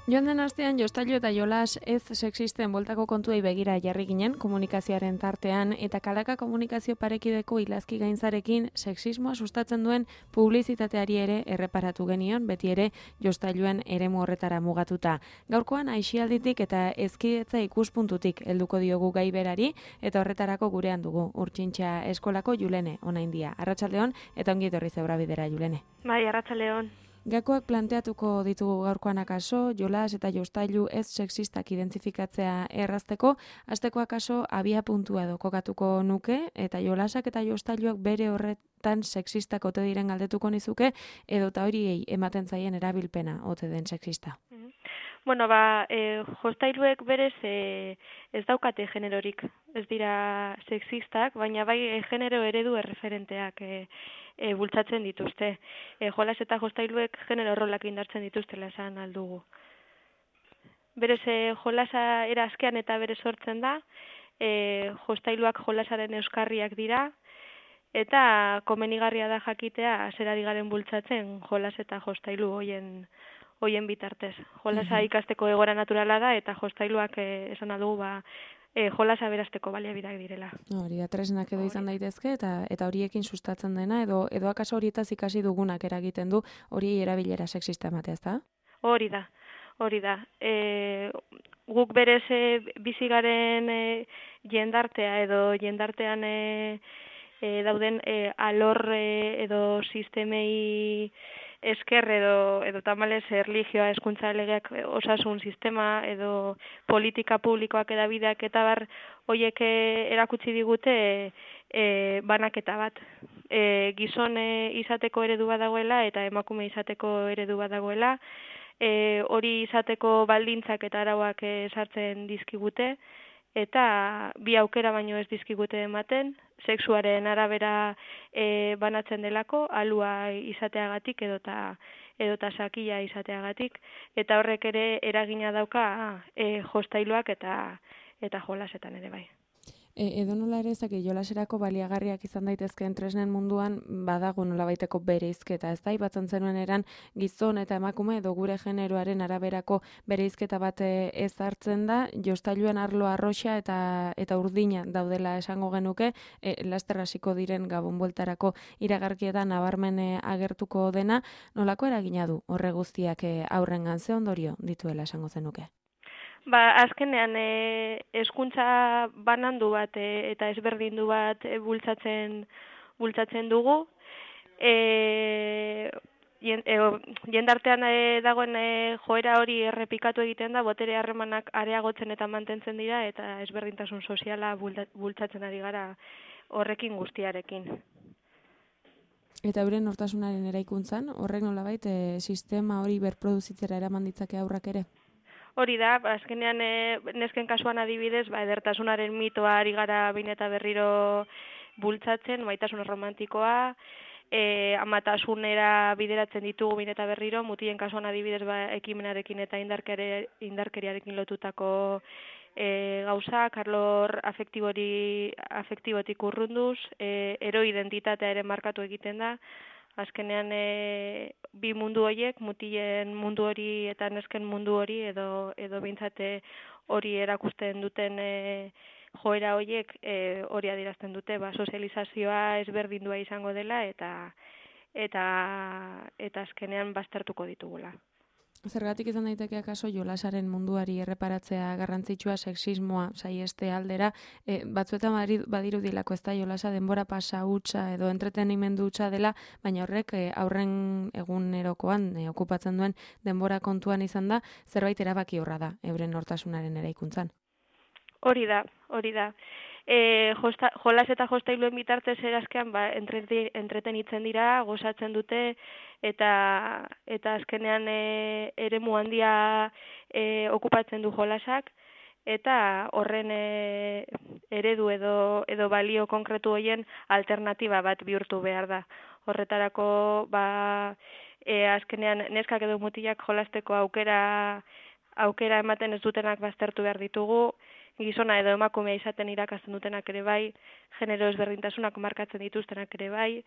Joan den astean jostailu eta jolas ez sexisten boltako kontuei begira jarri ginen komunikazioaren tartean eta kalaka komunikazio parekideko ilazki gaintzarekin sexismoa sustatzen duen publizitateari ere erreparatu genion, beti ere jostailuen eremu horretara mugatuta. Gaurkoan aisialditik eta ezkidetza ikuspuntutik helduko diogu gai berari eta horretarako gurean dugu Urtsintxa eskolako Julene Onaindia. Arratsaldeon eta ongi etorri Zebrabidera Julene. Bai, arratsaldeon. Gakoak planteatuko ditugu gaurkoan akaso, jolas eta jostailu ez sexistak identifikatzea errazteko, hasteko akaso abia puntua edo kokatuko nuke, eta jolasak eta jostailuak bere horretan sexistak ote diren galdetuko nizuke, edo eta horiei ematen zaien erabilpena ote den sexista. Bueno, jostailuek berez ez daukate generorik, ez dira sexistak, baina bai genero eredu erreferenteak bultzatzen dituzte. Jolas eta jostailuek genero rolak indartzen dituztela esan aldugu. Berez jolasa era askean eta berez sortzen da, jostailuak jolasaren euskarriak dira, eta komenigarria da jakitea zerari garen bultzatzen jolas eta jostailu hoien bitartez. Jolasa ikasteko egoera naturala da eta jostailuak esan aldugu jolasa berasteko baliabideak direla. Hori da, tresnak edo izan daitezke eta horiekin sustatzen dena edo akaso horietaz ikasi dugunak eragiten du hori erabilera sexista ematea, ezta? Hori da. Guk berez bizi garen jendartea edo jendartean dauden alor edo sistemei esker edo tamalez erlijioa, hezkuntza legeak, osasun sistema edo politika publikoak edabideak eta bar hoiek erakutsi digute banaketa bat. Gizon izateko eredu bat dagoela eta emakume izateko eredu bat dagoela, hori izateko baldintzak eta arauak sartzen dizkigute, eta bi aukera baino ez dizkigute ematen, sexuaren arabera banatzen delako, alua izateagatik edota sakila izateagatik, eta horrek ere eragina dauka jostailuak eta jolasetan ere bai. Edo nola ere jolaserako baliagarriak izan daitezkeen tresnen munduan badago nolabaiteko bereizketa, ez da, aipatzen zenuen eran gizon eta emakume edo gure generoaren araberako bereizketa bat ez hartzen da, jostailuen arlo arroxa eta urdina daudela esango genuke, laster hasiko diren gabon bueltarako iragarkietan nabarmen agertuko dena, nolako eragina du horre guztiak aurrengan ze ondorio dituela esango zenuke? Azkenean hezkuntza banandu bat eta ezberdindu bat bultzatzen dugu. Jendartean dagoen joera hori errepikatu egiten da, botere harremanak areagotzen eta mantentzen dira eta ezberdintasun soziala bultzatzen ari gara horrekin guztiarekin. Eta euren nortasunaren eraikuntzan, horrek nolabait sistema hori berproduzitzera eraman ditzake aurrak ere? Hori da, azkenean nesken kasuan adibidez, edertasunaren mitoa ari gara behin eta berriro bultzatzen, maitasun romantikoa, amatasunera bideratzen ditugu behin eta berriro, mutien kasuan adibidez ekimenarekin eta indarkeriarekin lotutako gauzak, arlor afektibotik urrunduz, ero identitatea ere markatu egiten da. Azkenean bi mundu horiek, mutilen mundu hori eta nesken mundu hori edo behintzate hori erakusten duten joera horiek hori adierazten dute, sozializazioa ezberdindua izango dela eta azkenean baztertuko ditugula. Zergatik izan daiteke akaso jolasaren munduari erreparatzea garrantzitsua sexismoa saieste aldera, batzuetan badirudilako ez da jolasa denbora pasa hutsa edo entretenimendu hutsa dela, baina horrek aurren egunerokoan okupatzen duen denbora kontuan izan da, zerbait erabaki horra da euren nortasunaren eraikuntzan. Hori da. Jolas eta jostailuen bitartez erazkean entretenitzen dira, gozatzen dute eta azkenean eremu handia okupatzen du jolasak eta horren eredu edo balio konkretu horien alternatiba bat bihurtu behar da. Horretarako azkenean neskak edo mutilak jolasteko aukera ematen ez dutenak baztertu behar ditugu, gizona edo emakumea izaten irakasten dutenak ere bai, genero ezberdintasunak markatzen dituztenak ere bai,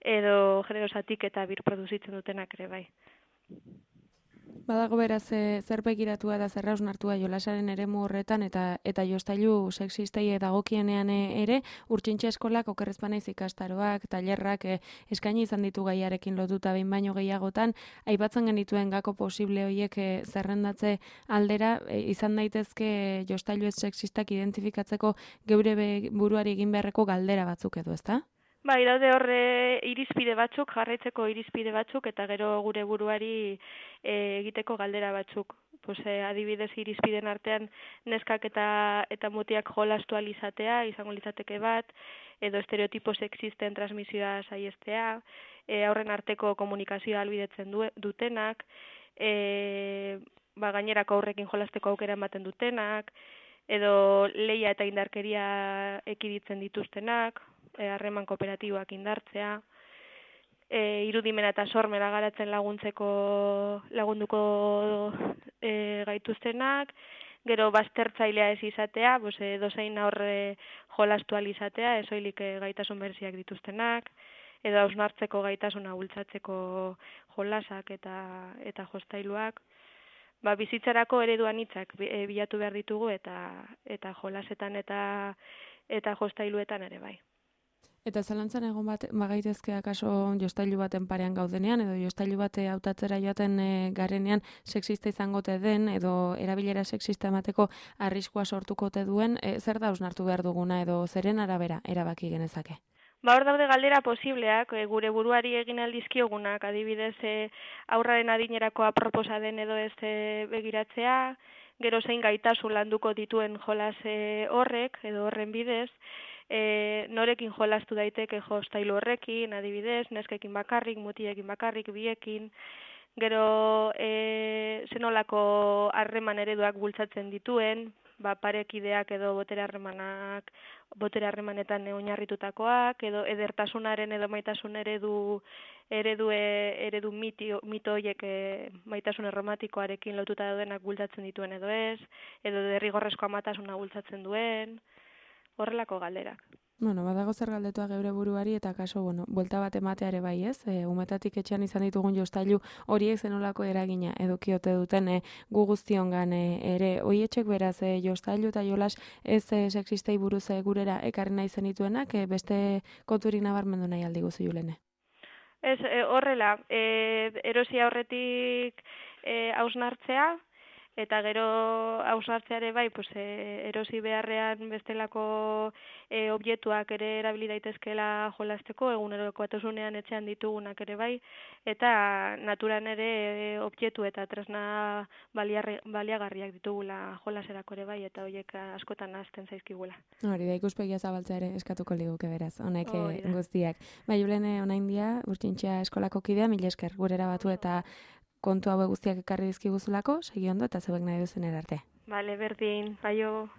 edo genero zatik eta birproduzitzen dutenak ere bai. Badago beraz zer begiratua eta zer hausnartua jolasaren eremu horretan eta jostailu sexistei dagokienean ere urtsintxe eskolak okerrezpanaiz ikastaroak, tailerrak eskaini izan ditu gaiarekin lotuta behin baino gehiagotan, aipatzen genituen gako posible horiek zerrendatze aldera izan daitezke jostailu ez sexistak identifikatzeko geure buruari egin beharreko galdera batzuk edo, ezta? Bai, daude horre irizpide batzuk, jarraitzeko irizpide batzuk, eta gero gure buruari egiteko galdera batzuk. Pues, adibidez irizpiden artean neskak eta mutiak jolastu alizatea, izango litzateke bat, edo estereotipo sexisten transmisioa saiestea, aurren arteko komunikazioa albidetzen dutenak, gainerako aurrekin jolasteko aukera ematen dutenak, edo leia eta indarkeria ekiditzen dituztenak, harreman kooperatiboak indartzea, irudimena eta sormena garatzen lagunduko gaituztenak, gero baztertzailea ez izatea, dozein aurre jolastu izatea, ez soilik gaitasun bereziak dituztenak, edo hausnartzeko gaitasuna bultzatzeko jolasak eta jostailuak. Bizitzarako ereduan hitzak bilatu behar ditugu eta jolasetan eta jostailuetan ere bai. Eta zalantzan egon bagaitezke akaso jostailu baten parean gaudenean, edo jostailu bate hautatzera joaten garenean sexista izango te den, edo erabilera sexista emateko arriskua sortuko te duen, zer da hausnartu behar duguna, edo zeren arabera erabaki genezake? Hor daude galdera posibleak, gure buruari egin aldizkiogunak, adibidez aurraren adinerako aproposa den edo ez begiratzea, gero zein gaitasun landuko dituen jolas horrek, edo horren bidez, norekin jolastu daiteke jostailu horrekin, adibidez, neskekin bakarrik, mutiekin bakarrik, biekin, gero zenolako harreman ereduak bultzatzen dituen, parekideak edo botere harremanetan oinarritutakoak, edo edertasunaren edo maitasun eredu mito horiek maitasun erromantikoarekin lotuta daudenak bultzatzen dituen edo ez, edo derrigorrezko amatasuna bultzatzen duen, horrelako galderak. Badago zer galdetua geure buruari eta kaso, buelta bat emateare bai ez, umetatik etxean izan ditugun jostailu horiek zenolako eragina edukiote duten gu guztiongan ere, hoietxek beraz jostailu eta jolas ez sexistei buruz gurera ekarri nahi zenituenak, beste konturik nabarmendu nahi aldi guzu Julene? Ez, horrela, erosia horretik hausnartzea, eta gero hausnartzeare bai, erosi beharrean bestelako objektuak ere erabili daitezkeela jolasteko, egunerokotasunean etxean ditugunak ere bai, eta naturan ere objektu eta tresna baliagarriak ditugula jolaserako ere bai, eta horiek askotan ahazten zaizkigula. Hori da, ikuspegia zabaltzea ere eskatuko liguke beraz, honek guztiak. Julene, oraindik urtsintxea eskolako kidea, mila esker gurera batu eta kontu hauek guztiak ekarri dizkiguzulako, segi ondo eta zeuek nahi duzen erarte. Bale, berdin, baio.